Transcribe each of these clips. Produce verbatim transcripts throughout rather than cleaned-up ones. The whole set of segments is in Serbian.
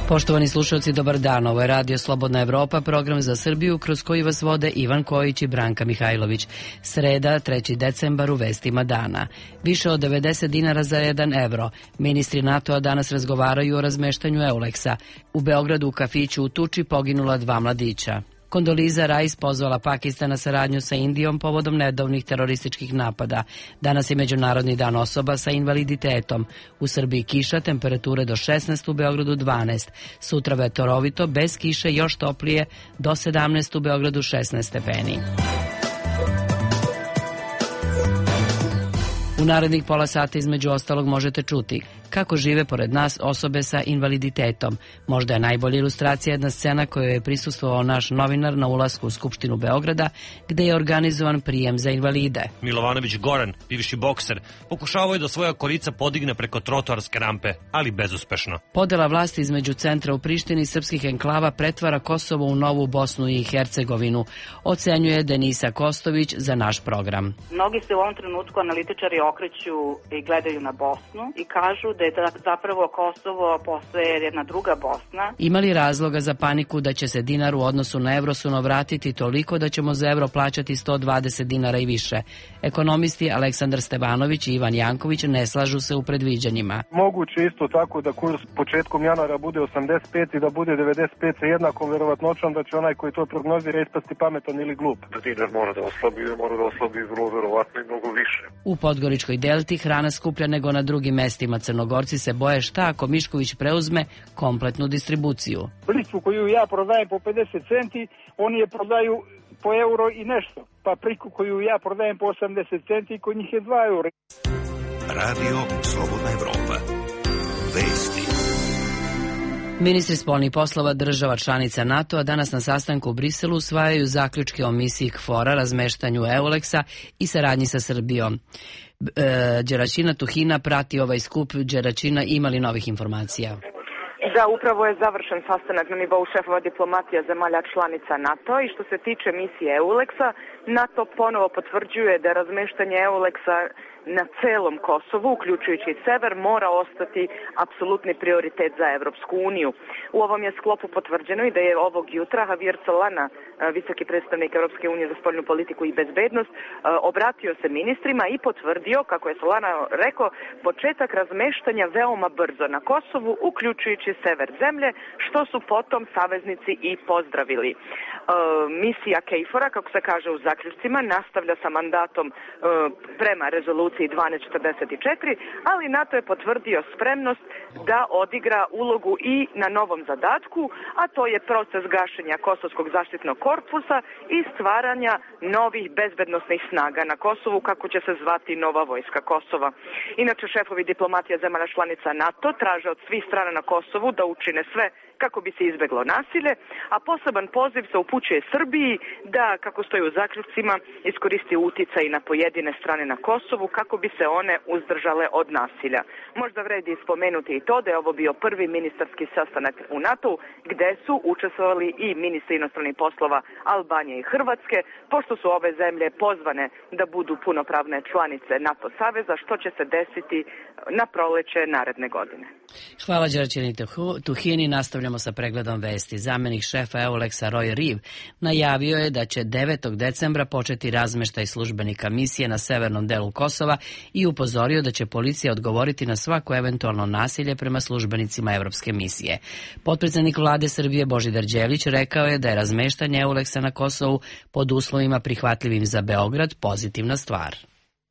Poštovani slušalci, dobar dan. Ovo je Radio Slobodna Evropa, program za Srbiju kroz koji vas vode Ivan Kojić i Branka Mihajlović. Sreda, treći decembar, u vestima dana. Više od devedeset dinara za jedan evro. Ministri NATO-a danas razgovaraju o razmeštanju Euleksa. U Beogradu u kafiću u Tuči poginula dva mladića. Kondoliza Rice pozvala Pakistan na saradnju sa Indijom povodom nedavnih terorističkih napada. Danas je Međunarodni dan osoba sa invaliditetom. U Srbiji kiša, temperature do šesnaest, u Beogradu dvanaest. Sutra vetorovito, bez kiše, još toplije, do sedamnaest, u Beogradu šesnaest stepeni. U narednih pola sata između ostalog možete čuti kako žive pored nas osobe sa invaliditetom. Možda je najbolja ilustracija jedna scena kojoj je prisustvovao naš novinar na ulasku u Skupštinu Beograda, gde je organizovan prijem za invalide. Milovanović Goran, bivši bokser, pokušavao je da svoja kolica podigne preko trotoarske rampe, ali bezuspešno. Podela vlasti između centra u Prištini i srpskih enklava pretvara Kosovo u novu Bosnu i Hercegovinu, ocenjuje Denisa Kostović za naš program. Mnogi se u ovom trenutku analitičari okreću i gledaju na Bosnu i kažu da je zapravo Kosovo postaje jedna druga Bosna. Ima li razloga za paniku da će se dinar u odnosu na evro suno vratiti toliko da ćemo za evro plaćati sto dvadeset dinara i više? Ekonomisti Aleksandar Stevanović i Ivan Janković ne slažu se u predviđanjima. Moguće isto tako da kurs početkom januara bude osamdeset pet i da bude devedeset pet sa jednakom verovatnoćom da će onaj koji to prognozira ispasti pametan ili glup. Da dinar mora da oslabi, mora da oslabi vrlo verovatno i mnogo više. U Podgoričkoj delti hrana skuplja nego na drugim mestima. Crnogorci se boje šta ako Mišković preuzme kompletnu distribuciju. Plicu koju ja prodajem po pedeset centi, oni je prodaju po euro i nešto. Papriku koju ja prodajem po osamdeset centi, kod njih je dva eura. Radio Slobodna Evropa. Vesti. Ministri spoljnih poslova država članica NATO-a danas na sastanku u Briselu usvajaju zaključke o misiji KFOR-a, razmeštanju Euleksa i saradnji sa Srbijom. Đeračina Tuhina prati ovaj skup. Đeračina, ima li novih informacija? Da, upravo je završen sastanak na nivou šefova diplomatija zemalja članica NATO i što se tiče misije Euleksa, NATO ponovo potvrđuje da razmeštanje Euleksa na celom Kosovu, uključujući i sever, mora ostati apsolutni prioritet za Evropsku uniju. U ovom je sklopu potvrđeno i da je ovog jutra Javier Solana, visoki predstavnik Evropske unije za spoljnu politiku i bezbednost, obratio se ministrima i potvrdio, kako je Solana rekao, početak razmeštanja veoma brzo na Kosovu, uključujući sever zemlje, što su potom saveznici i pozdravili. Misija KFOR-a, kako se kaže u zaključcima, nastavlja sa mandatom prema rezoluciji dvanaest četrdeset četiri, ali NATO je potvrdio spremnost da odigra ulogu i na novom zadatku, a to je proces gašenja Kosovskog zaštitnog korpusa i stvaranja novih bezbednosnih snaga na Kosovu, kako će se zvati Nova vojska Kosova. Inače, šefovi diplomatija zemalja članica NATO traže od svih strana na Kosovu da učine sve kako bi se izbeglo nasilje, a poseban poziv se upućuje Srbiji da, kako stoji u zaključcima, iskoristi uticaj na pojedine strane na Kosovu kako bi se one uzdržale od nasilja. Možda vredi spomenuti i to da je ovo bio prvi ministarski sastanak u NATO-u gde su učestvovali i ministri inostranih poslova Albanije i Hrvatske, pošto su ove zemlje pozvane da budu punopravne članice NATO saveza, što će se desiti na proleće naredne godine. Hvala Đeračini Tuhini. Nastavljamo sa pregledom vesti. Zamenik šefa Euleksa Roy Reeve najavio je da će devetog decembra početi razmeštaj službenika misije na severnom delu Kosova i upozorio da će policija odgovoriti na svako eventualno nasilje prema službenicima evropske misije. Potpredsednik vlade Srbije Božidar Đelić rekao je da je razmeštanje Euleksa na Kosovu pod uslovima prihvatljivim za Beograd pozitivna stvar.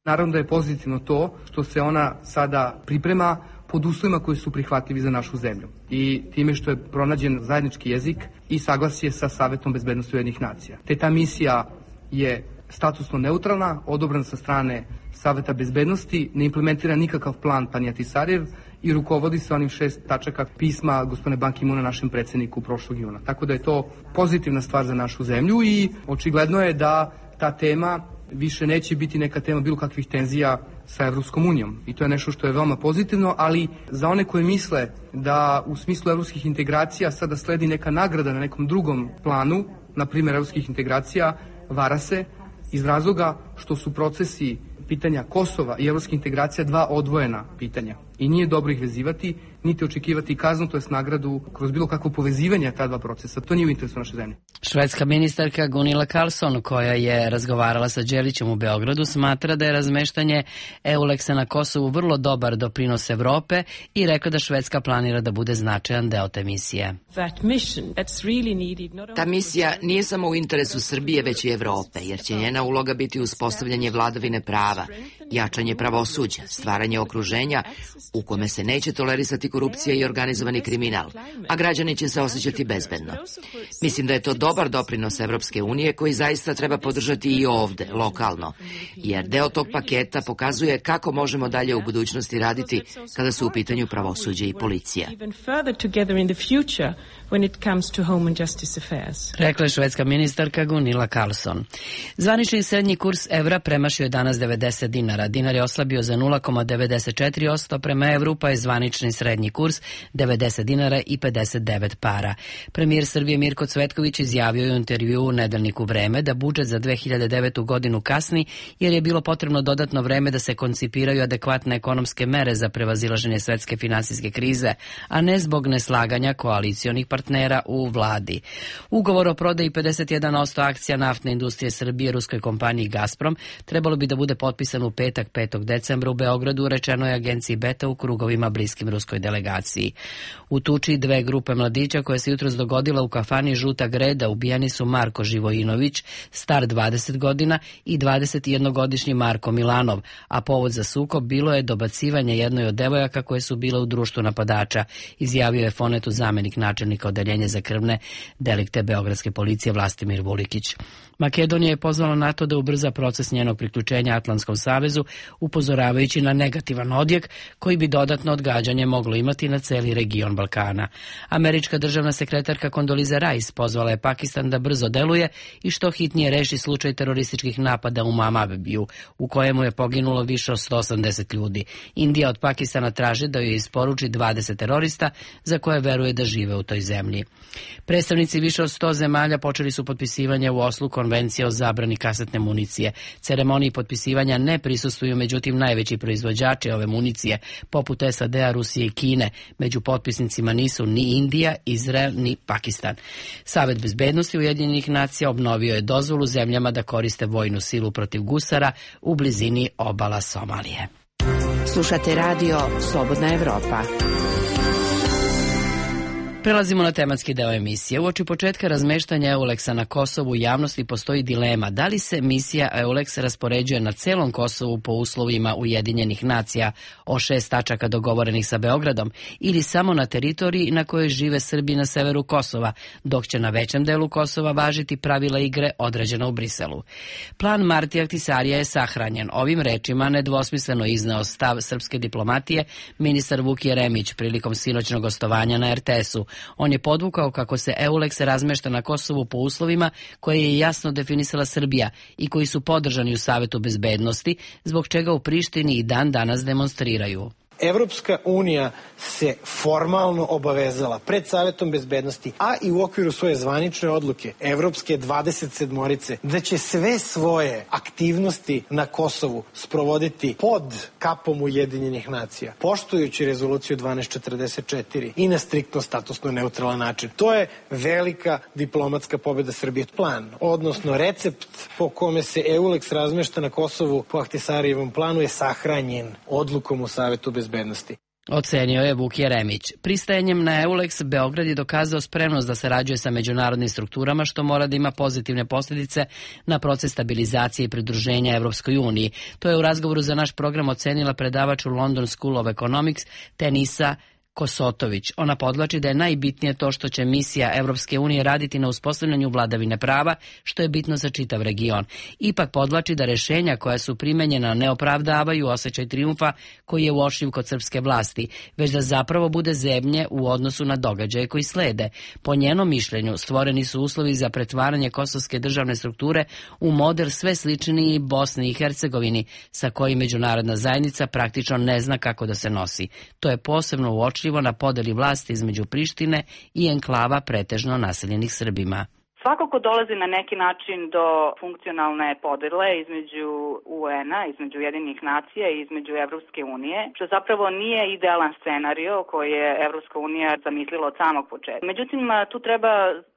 Naravno da je pozitivno to što se ona sada priprema pod uslovima koji su prihvatljivi za našu zemlju i time što je pronađen zajednički jezik i saglasje sa Savetom bezbednosti Ujedinjenih nacija. Te ta misija je statusno neutralna, odobrana sa strane Saveta bezbednosti, ne implementira nikakav plan Panijatisarev i rukovodi se onim šest tačaka pisma gospodine Ban Ki-moona našem predsjedniku prošlog juna. Tako da je to pozitivna stvar za našu zemlju i očigledno je da ta tema više neće biti neka tema bilo kakvih tenzija sa Evropskom unijom. I to je nešto što je veoma pozitivno, ali za one koji misle da u smislu evropskih integracija sada sledi neka nagrada na nekom drugom planu, na primjer evropskih integracija, vara se iz razloga što su procesi pitanja Kosova i evropskih integracija dva odvojena pitanja. I nije dobro ih vezivati, niti očekivati kaznu, to jest nagradu kroz bilo kakvo povezivanje ta dva procesa. To nije u interesu naše zemlje. Švedska ministarka Gunilla Carlsson, koja je razgovarala sa Đelićem u Beogradu, smatra da je razmeštanje Euleksa na Kosovu vrlo dobar doprinos Evrope i rekla da Švedska planira da bude značajan deo te misije. Ta misija nije samo u interesu Srbije, već i Evrope, jer će njena uloga biti uspostavljanje vladavine prava, jačanje pravosuđa, stvaranje okruženja u kome se neće tolerisati korupcija i organizovani kriminal, a građani će se osjećati bezbedno. Mislim da je to dobar doprinos Evropske unije koji zaista treba podržati i ovde, lokalno, jer deo tog paketa pokazuje kako možemo dalje u budućnosti raditi kada su u pitanju pravosuđe i policija. Rekla je švedska ministarka Gunilla Carlsson. Zvanični srednji kurs evra premašio je danas devedeset dinara. Dinar je oslabio za nula zarez devedeset četiri posto prema evru, pa je zvanični srednji kurs devedeset dinara i pedeset devet para. Premijer Srbije Mirko Cvetković izjavio je u intervjuu u nedeljniku Vreme da budžet za dve hiljade devetu godinu kasni jer je bilo potrebno dodatno vreme da se koncipiraju adekvatne ekonomske mere za prevazilaženje svetske finansijske krize, a ne zbog neslaganja koalicionih partnera u vladi. Ugovor o prodaji pedeset jedan posto akcija naftne industrije Srbije ruskoj kompaniji Gazprom trebalo bi da bude potpisan u petak petog decembra u Beogradu, rečeno je agenciji Beta u krugovima bliskim ruskoj delegaciji. U tuči dve grupe mladića koja se jutros dogodila u kafani Žuta greda ubijani su Marko Živojinović, star dvadeset godina, i dvadesetjednogodišnji Marko Milanov, a povod za sukob bilo je dobacivanje jednoj od devojaka koje su bile u društvu napadača, izjavio je Fonetu zamenik načelnika odeljenja za krvne delikte beogradske policije Vlastimir Vulikić. Makedonija je pozvala NATO da ubrza proces njenog priključenja Atlantskom savezu, upozoravajući na negativan odjek koji bi dodatno odgađanje moglo imati na celi region Balkana. Američka državna sekretarka Condoleezza Rice pozvala je Pakistan da brzo deluje i što hitnije reši slučaj terorističkih napada u Mamabiju, u kojemu je poginulo više od sto osamdeset ljudi. Indija od Pakistana traži da joj isporuči dvadeset terorista za koje veruje da žive u toj zemlji. Predstavnici više od sto zemalja počeli su potpisivanje u Oslu konvencije o zabrani kasetne municije. Ceremoniji potpisivanja ne prisustvuju međutim najveći proizvođači ove municije, poput S A D-a, Rusije i Kine. Među potpisnicima nisu ni Indija, Izrael ni Pakistan. Savet bezbednosti Ujedinjenih nacija obnovio je dozvolu zemljama da koriste vojnu silu protiv gusara u blizini obala Somalije. Slušate radio Slobodna Evropa. Prelazimo na tematski deo emisije. Uoči početka razmeštanja Euleksa na Kosovu u javnosti postoji dilema da li se misija Euleks raspoređuje na celom Kosovu po uslovima Ujedinjenih nacija o šest tačaka dogovorenih sa Beogradom ili samo na teritoriji na kojoj žive Srbi na severu Kosova, dok će na većem delu Kosova važiti pravila igre određena u Briselu. Plan Martija Ahtisarija je sahranjen. Ovim rečima nedvosmisleno izneo stav srpske diplomatije ministar Vuk Jeremić prilikom sinoćnog gostovanja na R T S-u. On je podvukao kako se Euleks razmešta na Kosovu po uslovima koje je jasno definisala Srbija i koji su podržani u Savetu bezbednosti, zbog čega u Prištini i dan danas demonstriraju. Evropska unija se formalno obavezala pred Savetom bezbednosti, a i u okviru svoje zvanične odluke Evropske dvadeset sedmorice, da će sve svoje aktivnosti na Kosovu sprovoditi pod kapom Ujedinjenih nacija, poštujući rezoluciju dvanaest četrdeset četiri i na striktno statusno neutralan način. To je velika diplomatska pobjeda Srbije. Plan, odnosno recept po kome se Euleks razmešta na Kosovu po Ahtisarijevom planu je sahranjen odlukom u Savetu bezbednosti. bezbednosti. Ocenio je Vuk Jeremić. Pristajanjem na Euleks, Beograd je dokazao spremnost da sarađuje sa međunarodnim strukturama, što mora da ima pozitivne posljedice na proces stabilizacije i pridruženja Evropskoj uniji. To je u razgovoru za naš program ocenila predavač u London School of Economics Tenisa Kosotović. Ona podvlači da je najbitnije to što će misija Evropske unije raditi na uspostavljanju vladavine prava, što je bitno za čitav region. Ipak podvlači da rešenja koja su primenjena ne opravdavaju osjećaj trijumfa koji je uočljiv kod srpske vlasti, već da zapravo bude zebnje u odnosu na događaje koji slede. Po njenom mišljenju stvoreni su uslovi za pretvaranje kosovske državne strukture u model sve sličniji Bosni i Hercegovini, sa kojim međunarodna zajednica praktično ne zna kako da se nosi. To je posebno uočljivo na podeli vlasti između Prištine i enklava pretežno naseljenih Srbima. Svakako dolazi na neki način do funkcionalne podele između U N-a, između Ujedinjenih nacija i između Evropske unije, što zapravo nije idealan scenario koji je Evropska unija zamislila od samog početka. Međutim, tu treba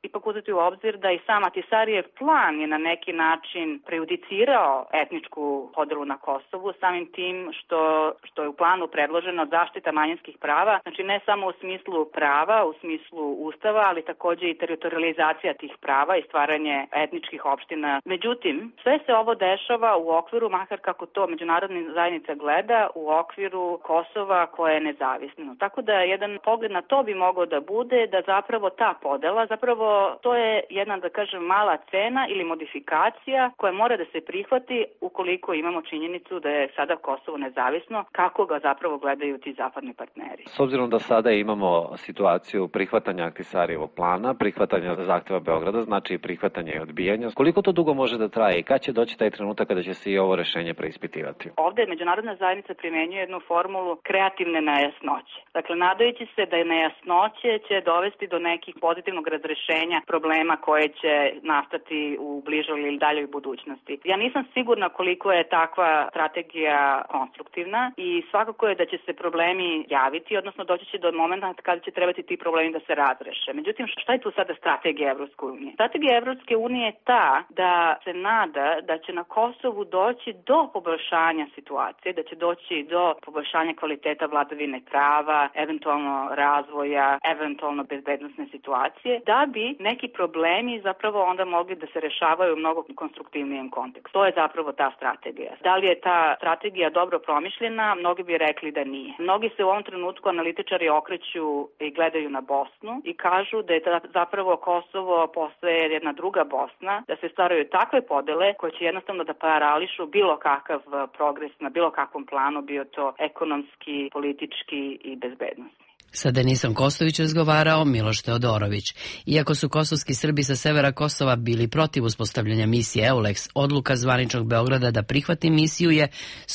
ipak uzeti u obzir da i sam Ahtisarijev plan je na neki način prejudicirao etničku podelu na Kosovu, samim tim što, što je u planu predloženo zaštita manjinskih prava, znači ne samo u smislu prava, u smislu ustava, ali takođe i teritorializacija tih prava i stvaranje etničkih opština. Međutim, sve se ovo dešava u okviru, makar kako to međunarodna zajednica gleda, u okviru Kosova koje je nezavisno. Tako da jedan pogled na to bi mogao da bude da zapravo ta podela, zapravo to je jedna, da kažem, mala cena ili modifikacija koja mora da se prihvati ukoliko imamo činjenicu da je sada Kosovo nezavisno, kako ga zapravo gledaju ti zapadni partneri. S obzirom da sada imamo situaciju prihvatanja Ahtisarijevog plana, prihvatanja zahteva Beograda, znači prihvatanje i odbijanja, koliko to dugo može da traje i kad će doći taj trenutak kada će se i ovo rešenje preispitivati? Ovde međunarodna zajednica primenjuje jednu formulu kreativne nejasnoće. Dakle, nadajući se da je nejasnoće će dovesti do nekih pozitivnog razrešenja problema koje će nastati u bližoj ili daljoj budućnosti. Ja nisam sigurna koliko je takva strategija konstruktivna i svakako je da će se problemi javiti, odnosno doći će do momenta kada će trebati ti problemi da se razreše. Međutim, šta je tu sada strategija Evropske unije? Strategija Evropske unije je ta da se nada da će na Kosovu doći do poboljšanja situacije, da će doći do poboljšanja kvaliteta vladavine prava, eventualno razvoja, eventualno bezbednosne situacije, da bi neki problemi zapravo onda mogli da se rešavaju u mnogo konstruktivnijem kontekstu. To je zapravo ta strategija. Da li je ta strategija dobro promišljena? Mnogi bi rekli da nije. Mnogi se u ovom trenutku analitičari okreću i gledaju na Bosnu i kažu da je zapravo Kosovo postaje jedna druga Bosna, da se stvaraju takve podele koje će jednostavno da parališu bilo kakav progres na bilo kakvom planu, bio to ekonomski, politički i bezbednosni. Sa Denisom Kostović razgovarao Miloš Teodorović. Iako su kosovski Srbi sa severa Kosova bili protiv uspostavljanja misije EULEX, odluka zvaničnog Beograda da prihvati misiju je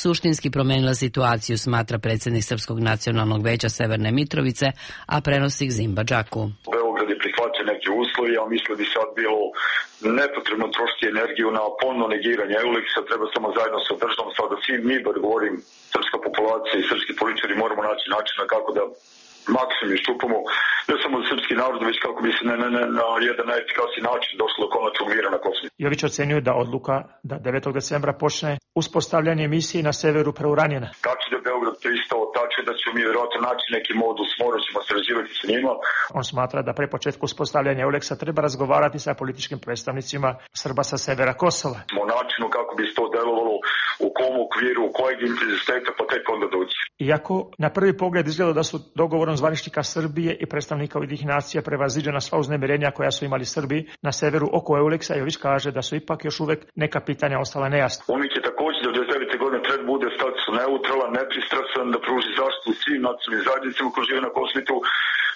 suštinski promenila situaciju, smatra predsjednik Srpskog nacionalnog veća Severne Mitrovice, a prenosi Gzimba Džaku. Beograd je prihvatio neke uslovi, a mislim da bi sad bilo nepotrebno trošiti energiju na ponovno negiranje EULEX-a, treba samo zajedno sa državom, sada svi mi, bar govorim, srpska populacija i srpski političari moramo naći načina kako da maksimum iščupamo ne samo srpski narod, već kako bi se ne, ne, ne, na jedan najefikasniji način došlo do konačnog mira na Kosovu. Jović ocenjuje da odluka da devetog decembra počne uspostavljanje misije na severu preuranjena. Tačno da je Beograd pristao, tačno da ćemo mi vjerojatno naći neki modus, morat ćemo sarađivati sa njima. On smatra da pre početka uspostavljanja EULEX-a treba razgovarati sa političkim predstavnicima Srba sa severa Kosova. O načinu kako bi se to delovalo, u kom okviru, u kojeg intenziteta, pa tek onda doći. Iako na prvi pogled izgleda da su dogovorom zvaničnika Srbije i predstavnika Ujedinjenih nacija prevaziđena sva uznemirenja koja su imali Srbi na severu oko EULEX-a, Jović kaže da su ipak još uvek neka pitanja ostala nejasna. On će također da devedeset devete godine treba bude status neutralan, nepristrasan, da pruži zaštitu svim nacionalnim zajednicama koji žive na Kosovu,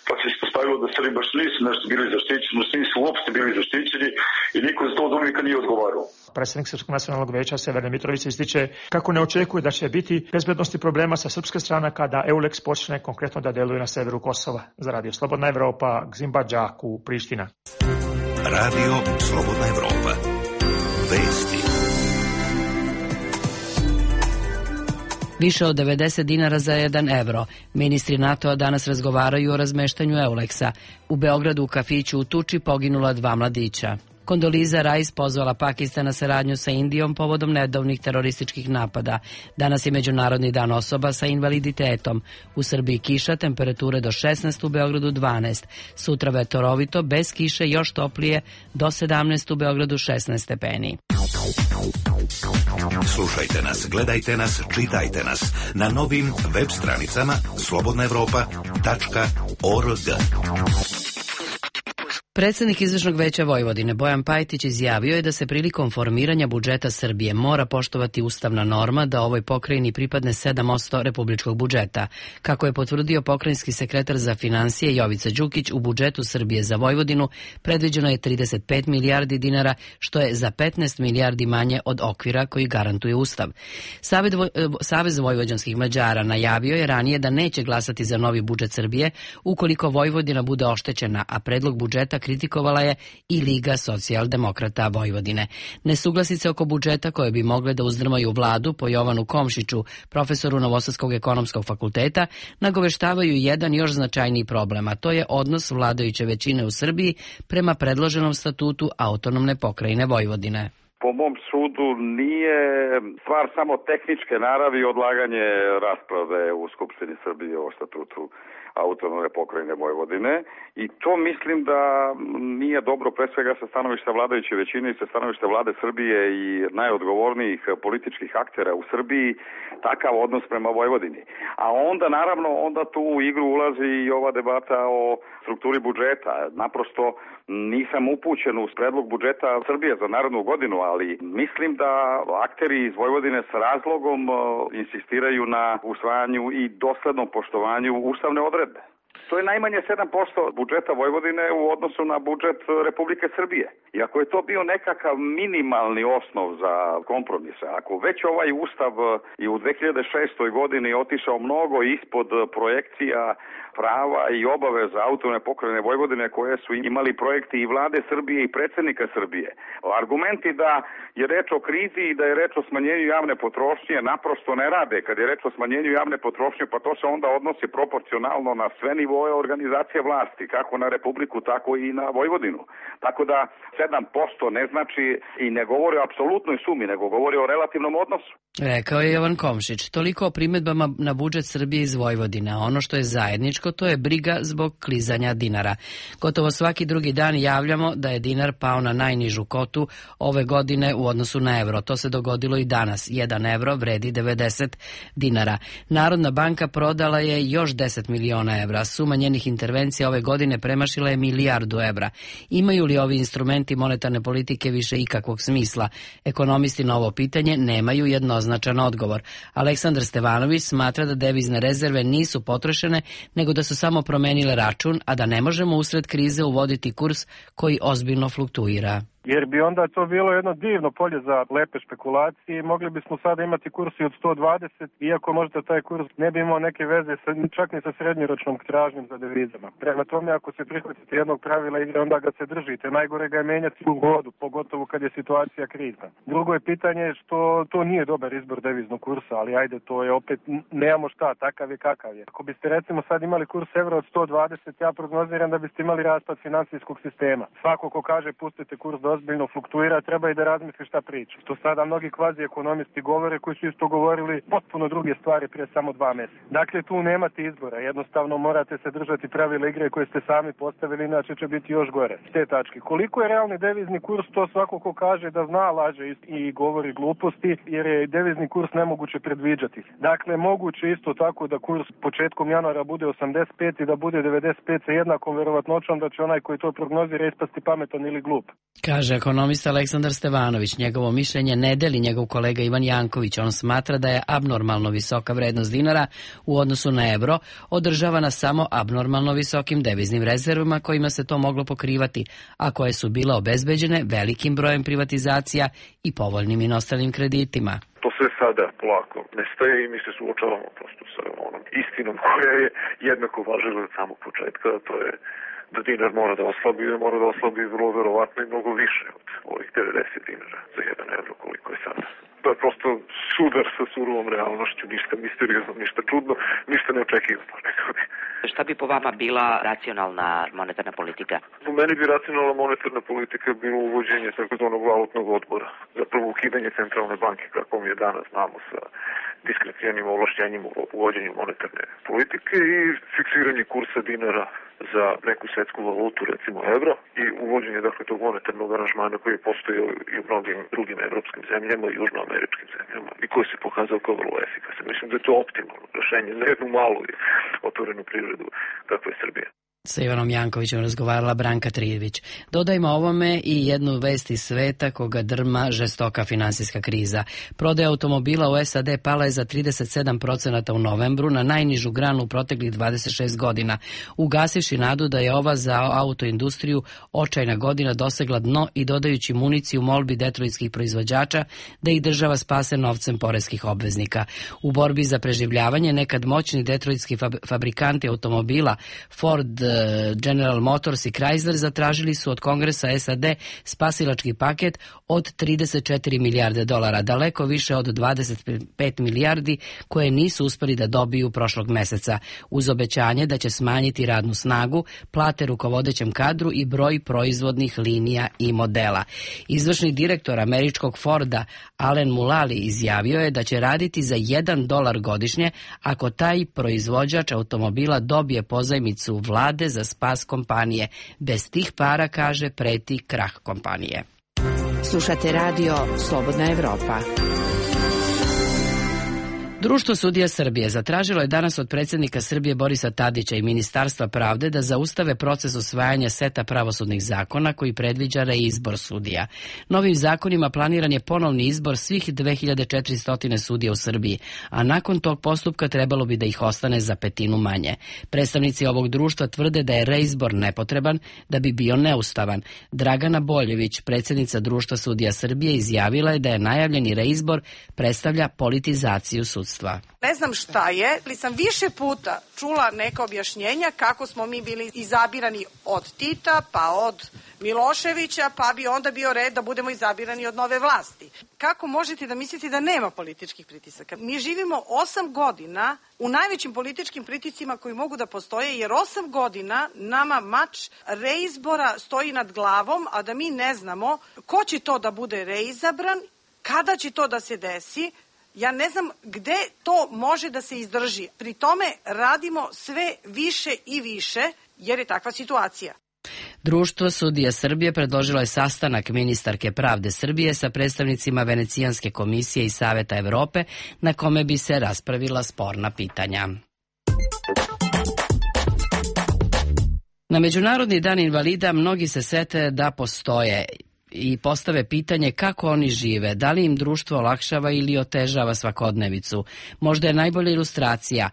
pa se ispostavilo da Srbi baš nisu nešto bili zaštićeni, nisu uopšte bili zaštićeni i niko za to od uvijeka nije odgovarao. Predsjednik Srpskog nacionalnog veća Severne Mitrovice ističe kako ne očekuje da će biti bezbednosti problema sa srpske strane kada EULEX počne konkretno da deluje na severu Kosova. Za Radio Slobodna Evropa, Gzimba Džaku, Priština. Radio Slobodna Evropa. Vesti. Više od devedeset dinara za jedan evro. Ministri NATO-a danas razgovaraju o razmeštanju EULEX-a. U Beogradu u kafiću u Tuči poginula dva mladića. Kondoliza Rice pozvala Pakistan na saradnju sa Indijom povodom nedavnih terorističkih napada. Danas je Međunarodni dan osoba sa invaliditetom. U Srbiji kiša, temperature do šesnaest, u Beogradu dvanaest. Sutra vetorovito, bez kiše, još toplije, do sedamnaest, u Beogradu šesnaest stepeni. Slušajte nas, gledajte nas, čitajte nas na novim web stranicama slobodna evropa tačka org. Predsjednik Izvršnog veća Vojvodine Bojan Pajtić izjavio je da se prilikom formiranja budžeta Srbije mora poštovati ustavna norma da ovoj pokrajini pripadne sedam posto republičkog budžeta. Kako je potvrdio pokrajinski sekretar za finansije Jovica Đukić, u budžetu Srbije za Vojvodinu predviđeno je trideset pet milijardi dinara, što je za petnaest milijardi manje od okvira koji garantuje Ustav. Savez vojvođanskih Mađara najavio je ranije da neće glasati za novi budžet Srbije ukoliko Vojvodina bude oštećena, a predlog budžeta kritikovala je i Liga socijaldemokrata Vojvodine. Nesuglasice oko budžeta koje bi mogle da uzdrmaju vladu po Jovanu Komšiću, profesoru Novosadskog ekonomskog fakulteta, nagoveštavaju jedan još značajniji problem, a to je odnos vladajuće većine u Srbiji prema predloženom statutu autonomne pokrajine Vojvodine. Po mom sudu nije stvar samo tehničke naravi odlaganje rasprave u Skupštini Srbije o statutu autonomne pokrajine Vojvodine i to mislim da nije dobro pre svega sa stanovišta vladajuće većine i sa stanovišta vlade Srbije i najodgovornijih političkih aktera u Srbiji takav odnos prema Vojvodini. A onda naravno onda tu u igru ulazi i ova debata o strukturi budžeta. Naprosto nisam upućen uz predlog budžeta Srbije za narednu godinu, ali mislim da akteri iz Vojvodine s razlogom insistiraju na usvajanju i doslednom poštovanju ustavne odredbe. To je najmanje sedam posto budžeta Vojvodine u odnosu na budžet Republike Srbije. I ako je to bio nekakav minimalni osnov za kompromis, ako već ovaj ustav i u dve hiljade šestoj godini otišao mnogo ispod projekcija prava i obaveza autonomne pokrajine Vojvodine koje su imali projekti i vlade Srbije i predsjednika Srbije. Argumenti da je reč o krizi i da je reč o smanjenju javne potrošnje naprosto ne rade. Kad je reč o smanjenju javne potrošnje, pa to se onda odnosi proporcionalno na sve nivoe organizacije vlasti, kako na Republiku, tako i na Vojvodinu. Tako da sedam posto ne znači i ne govori o apsolutnoj sumi, nego govori o relativnom odnosu. Rekao je Jovan Komšić. Toliko o primedbama na budžet Srbije iz Vojvodine. Ono što je zajedničko, to je briga zbog klizanja dinara. Gotovo svaki drugi dan javljamo da je dinar pao na najnižu kotu ove godine u odnosu na evro. To se dogodilo i danas. Jedan evro vredi devedeset dinara. Narodna banka prodala je još deset miliona evra. Suma njenih intervencija ove godine premašila je milijardu evra. Imaju li ovi instrumenti monetarne politike više ikakvog smisla? Ekonomisti na ovo pitanje nemaju jednoznačan odgovor. Aleksandar Stevanović smatra da devizne rezerve nisu potrošene, nego da su samo promenile račun, a da ne možemo usred krize uvoditi kurs koji ozbiljno fluktuira. Jer bi onda to bilo jedno divno polje za lepe špekulacije i mogli bismo sada imati kursi od sto dvadeset, iako možda taj kurs ne bi imao neke veze sa, čak ni sa srednjoročnom tražnjom za devizama. Prema tome, ako se prihvatite jednog pravila igre, onda ga se držite. Najgore ga je menjati u vodu, pogotovo kad je situacija krizna. Drugo je pitanje što to nije dobar izbor deviznog kursa, ali ajde, to je opet, nemamo šta, takav je kakav je. Ako biste recimo sad imali kurs evra od sto dvadeset, ja prognoziram da biste imali raspad finansijskog sistema. Svako ko kaže pustite kurs do ozbiljno fluktuira, treba i da razmisli šta priča. Što sada mnogi kvazi ekonomisti govore koji su isto govorili potpuno druge stvari prije samo dva mjeseca. Dakle, tu nemate izbora. Jednostavno morate se držati pravila igre koje ste sami postavili, inače će biti još gore. S te tačke. Koliko je realni devizni kurs, to svako ko kaže da zna, laže i govori gluposti, jer je devizni kurs nemoguće predviđati. Dakle, moguće isto tako da kurs početkom januara bude osamdeset pet i da bude devedeset pet sa jednakom verovatnoćom da će onaj koji to prognozira ispasti pametan ili glup. Kaže ekonomista Aleksandar Stevanović. Njegovo mišljenje ne deli njegov kolega Ivan Janković. On smatra da je abnormalno visoka vrednost dinara u odnosu na evro održavana samo abnormalno visokim deviznim rezervama kojima se to moglo pokrivati, a koje su bile obezbeđene velikim brojem privatizacija i povoljnim inostranim kreditima. To sve sada polako nestaje i mi se suočavamo prosto sa onom istinom koja je jednako važila od samog početka, to je da dinar mora da oslabi i mora da oslabi vrlo verovatno i mnogo više od ovih devedeset dinara za jedan evro koliko je sada. To je prosto sudar sa surovom realnošću, ništa misteriozno, ništa čudno, ništa neočekivano. Šta bi po vama bila racionalna monetarna politika? Po meni bi racionalna monetarna politika bilo uvođenje takozvanog valutnog odbora. Zapravo ukidanje centralne banke, kako mi je danas znamo, sa diskrecijalnim ovlašćenjem u uvođenju monetarne politike i fiksiranje kursa dinara za neku svetsku valutu, recimo evro, i uvođenje dakle tog monetarnog aranžmana koji je postojao i u mnogim drugim evropskim zemljama i južnoameričkim zemljama i koji se pokazao kao vrlo efikasan. Mislim da je to optimalno rešenje za jednu malu i otvorenu privredu kakva je Srbija. Sa Ivanom Jankovićem razgovarala Branka Trijević. Dodajmo ovome i jednu vest iz sveta koga drma žestoka finansijska kriza. Prodaja automobila u S A D pala je za trideset sedam procenata u novembru na najnižu granu u proteklih dvadeset šest godina, ugasivši nadu da je ova za autoindustriju očajna godina dosegla dno i dodajući municiju molbi detroitskih proizvođača da ih država spase novcem poreskih obveznika. U borbi za preživljavanje nekad moćni detroitski fabrikanti automobila Ford, General Motors i Chrysler zatražili su od Kongresa S A D spasilački paket od trideset četiri milijarde dolara, daleko više od dvadeset pet milijardi koje nisu uspeli da dobiju prošlog meseca, uz obećanje da će smanjiti radnu snagu, plate rukovodećem kadru i broj proizvodnih linija i modela. Izvršni direktor američkog Forda Alen Mulally izjavio je da će raditi za jedan dolar godišnje ako taj proizvođač automobila dobije pozajmicu vlade za spas kompanije. Bez tih para, kaže, preti krah kompanije. Slušate radio Slobodna Evropa. Društvo sudija Srbije zatražilo je danas od predsjednika Srbije Borisa Tadića i Ministarstva pravde da zaustave proces usvajanja seta pravosudnih zakona koji predviđa reizbor sudija. Novim zakonima planiran je ponovni izbor svih dve hiljade četiristo sudija u Srbiji, a nakon tog postupka trebalo bi da ih ostane za petinu manje. Predstavnici ovog društva tvrde da je reizbor nepotreban, da bi bio neustavan. Dragana Boljević, predsjednica Društva sudija Srbije, izjavila je da je najavljeni reizbor predstavlja politizaciju sudstva. Ne znam šta je, ali sam više puta čula neka objašnjenja kako smo mi bili izabirani od Tita, pa od Miloševića, pa bi onda bio red da budemo izabirani od nove vlasti. Kako možete da mislite da nema političkih pritisaka? Mi živimo osam godina u najvećim političkim pritiscima koji mogu da postoje, jer osam godina nama mač reizbora stoji nad glavom, a da mi ne znamo ko će to da bude reizabran, kada će to da se desi. Ja ne znam gde to može da se izdrži. Pri tome radimo sve više i više, jer je takva situacija. Društvo sudija Srbije predložilo je sastanak ministarke pravde Srbije sa predstavnicima Venecijanske komisije i Saveta Evrope, na kome bi se raspravila sporna pitanja. Na Međunarodni dan invalida mnogi se sete da postoje i postave pitanje kako oni žive, da li im društvo olakšava ili otežava svakodnevicu. Možda je najbolja ilustracija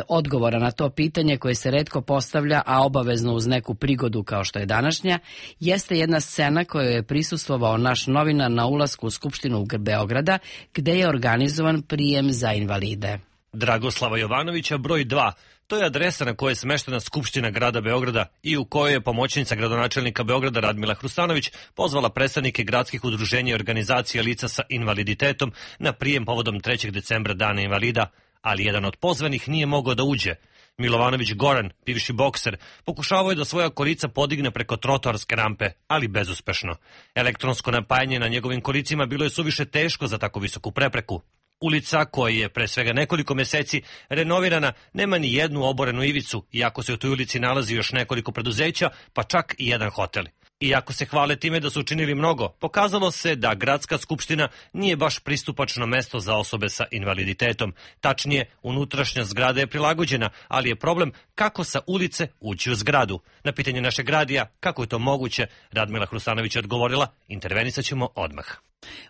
odgovora na to pitanje koje se retko postavlja, a obavezno uz neku prigodu kao što je današnja, jeste jedna scena kojoj je prisustvovao naš novinar na ulasku u Skupštinu Beograda, gde je organizovan prijem za invalide. Dragoslava Jovanovića broj dva. To je adresa na kojoj je smeštena Skupština grada Beograda i u kojoj je pomoćnica gradonačelnika Beograda Radmila Hrustanović pozvala predstavnike gradskih udruženja i organizacija lica sa invaliditetom na prijem povodom trećeg decembra Dana invalida, ali jedan od pozvanih nije mogao da uđe. Milovanović Goran, bivši bokser, pokušavao je da svoja kolica podigne preko trotoarske rampe, ali bezuspešno. Elektronsko napajanje na njegovim kolicima bilo je suviše teško za tako visoku prepreku. Ulica, koja je pre svega nekoliko meseci renovirana, nema ni jednu oborenu ivicu, iako se u toj ulici nalazi još nekoliko preduzeća, pa čak i jedan hotel. Iako se hvale time da su učinili mnogo, pokazalo se da gradska skupština nije baš pristupačno mesto za osobe sa invaliditetom. Tačnije, unutrašnja zgrada je prilagođena, ali je problem kako sa ulice ući u zgradu. Na pitanje našeg radija, kako je to moguće, Radmila Hrustanović je odgovorila, intervenisat ćemo odmah.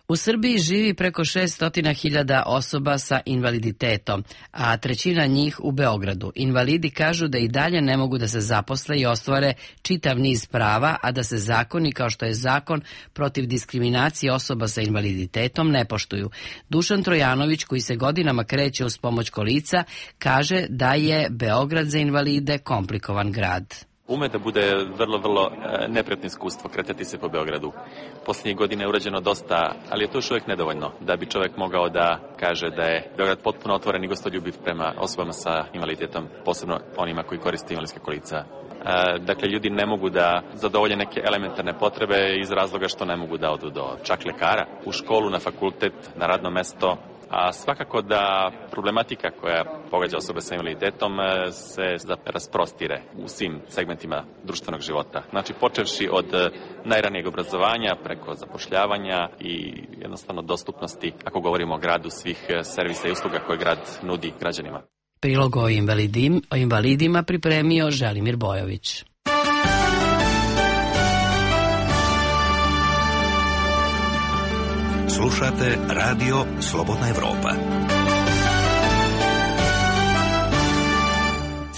U Srbiji živi preko šesto hiljada osoba sa invaliditetom, a trećina njih u Beogradu. Invalidi kažu da i dalje ne mogu da se zaposle i ostvare čitav niz prava, a da se zakoni kao što je zakon protiv diskriminacije osoba sa invaliditetom ne poštuju. Dušan Trojanović, koji se godinama kreće uz pomoć kolica, kaže da je Beograd za invalide komplikovan grad. Ume da bude vrlo, vrlo neprijatno iskustvo kretati se po Beogradu. Posljednjih godina je urađeno dosta, ali je to još uvijek nedovoljno da bi čovjek mogao da kaže da je Beograd potpuno otvoren i gostoljubiv prema osobama sa invaliditetom, posebno onima koji koriste invalidske kolica. Dakle, ljudi ne mogu da zadovolje neke elementarne potrebe iz razloga što ne mogu da odu do čak lekara, u školu, na fakultet, na radno mesto. A svakako da problematika koja pogađa osobe sa invaliditetom se rasprostire u svim segmentima društvenog života. Znači, počevši od najranijeg obrazovanja preko zapošljavanja i jednostavno dostupnosti, ako govorimo o gradu, svih servisa i usluga koje grad nudi građanima. Prilog o, invalidim, o invalidima pripremio Želimir Bojović. Slušate radio Slobodna Evropa.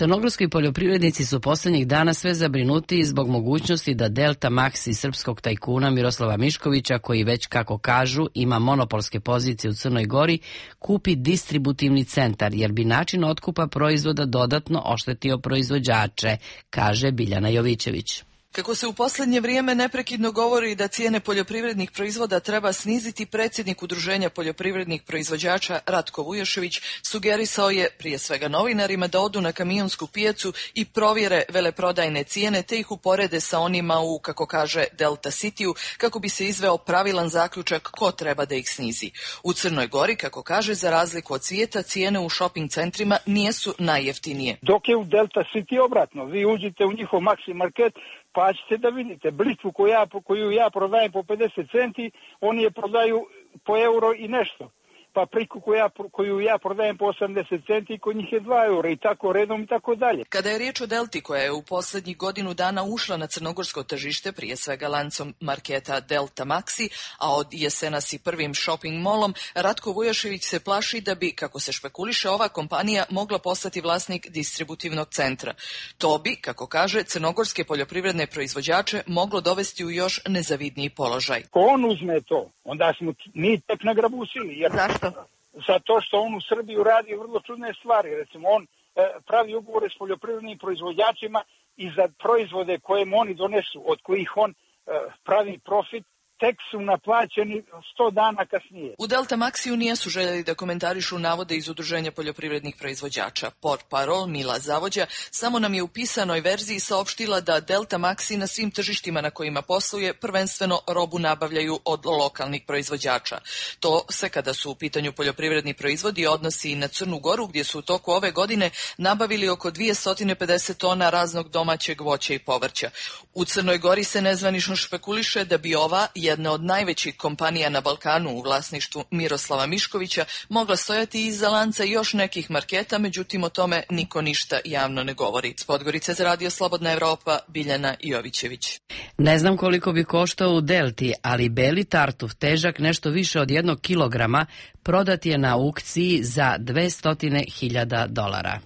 Crnogorski poljoprivrednici su poslednjih dana sve zabrinuti zbog mogućnosti da Delta Maxi srpskog tajkuna Miroslava Miškovića, koji već, kako kažu, ima monopolske pozicije u Crnoj Gori, kupi distributivni centar, jer bi način otkupa proizvoda dodatno oštetio proizvođače, kaže Biljana Jovićević. Kako se u poslednje vrijeme neprekidno govori da cijene poljoprivrednih proizvoda treba sniziti, predsjednik Udruženja poljoprivrednih proizvođača Ratko Vujošević sugerisao je prije svega novinarima da odu na kamionsku pijacu i provjere veleprodajne cijene te ih uporede sa onima u, kako kaže, Delta Cityu, kako bi se izveo pravilan zaključak ko treba da ih snizi. U Crnoj Gori, kako kaže, za razliku od svijeta, cijene u shopping centrima nijesu najjeftinije. Dok je u Delta City obratno, vi uđete u njihov Maxi Market, pa ćete da vidite blitvu koju ja, koju ja prodajem po pedeset centi, oni je prodaju po euro i nešto. Papriku koju ja, koju ja prodajem po osamdeset centi, kod njih je dva eura i tako redom i tako dalje. Kada je riječ o Delti koja je u posljednjih godinu dana ušla na crnogorsko tržište, prije svega lancom marketa Delta Maxi, a od jesenas i prvim shopping molom, Ratko Vujošević se plaši da bi, kako se špekuliše, ova kompanija mogla postati vlasnik distributivnog centra. To bi, kako kaže, crnogorske poljoprivredne proizvođače moglo dovesti u još nezavidniji položaj. Ko on uzme to, onda smo mi tek nagrabusili. Jer... Zašto? Zato što on u Srbiju radi vrlo čudne stvari. Recimo, on e, pravi ugovore s poljoprivrednim proizvođačima i za proizvode koje mu oni donesu, od kojih on e, pravi profit, tek su naplaćeni sto dana kasnije. U Delta Maxiju nijesu željeli da komentarišu navode iz Udruženja poljoprivrednih proizvođača. Portparol Mila Zavođa samo nam je u pisanoj verziji saopštila da Delta Maxi na svim tržištima na kojima posluje prvenstveno robu nabavljaju od lokalnih proizvođača. To se, kada su u pitanju poljoprivredni proizvodi, odnosi i na Crnu Goru, gdje su u toku ove godine nabavili oko dvjesto pedeset tona raznog domaćeg voća i povrća. U Crnoj Gori se nezvanično špekuliše da bi ova jedna od najvećih kompanija na Balkanu u vlasništvu Miroslava Miškovića mogla stojati iza lanca još nekih marketa, međutim o tome niko ništa javno ne govori. S Podgorice za Radio Slobodna Evropa, Biljana Jovićević. Ne znam koliko bi koštao u Delti, ali beli tartuf, težak nešto više od jednog kilograma, prodat je na aukciji za dvesta hiljada dolara.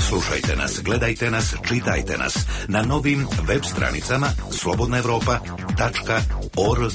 Slušajte nas, gledajte nas, čitajte nas na novim web stranicama slobodna evropa tačka org.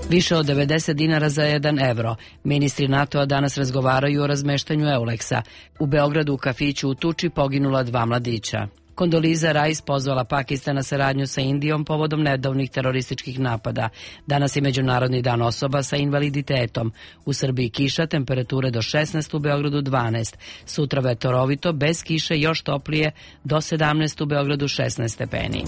Više od devedeset dinara za jedan evro. Ministri NATO-a danas razgovaraju o razmeštanju Euleksa. U Beogradu u kafiću u Tuči poginula dva mladića. Kondoliza Rice pozvala Pakistan na saradnju sa Indijom povodom nedavnih terorističkih napada. Danas je Međunarodni dan osoba sa invaliditetom. U Srbiji kiša, temperature do šesnaest, u Beogradu dvanaest. Sutra vetorovito, bez kiše, još toplije, do sedamnaest, u Beogradu šesnaest stepeni.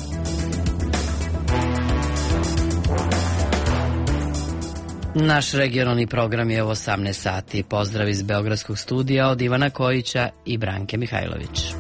Naš regionalni program je u osamnaest sati. Pozdrav iz Beogradskog studija od Ivana Kojića i Branke Mihajlović.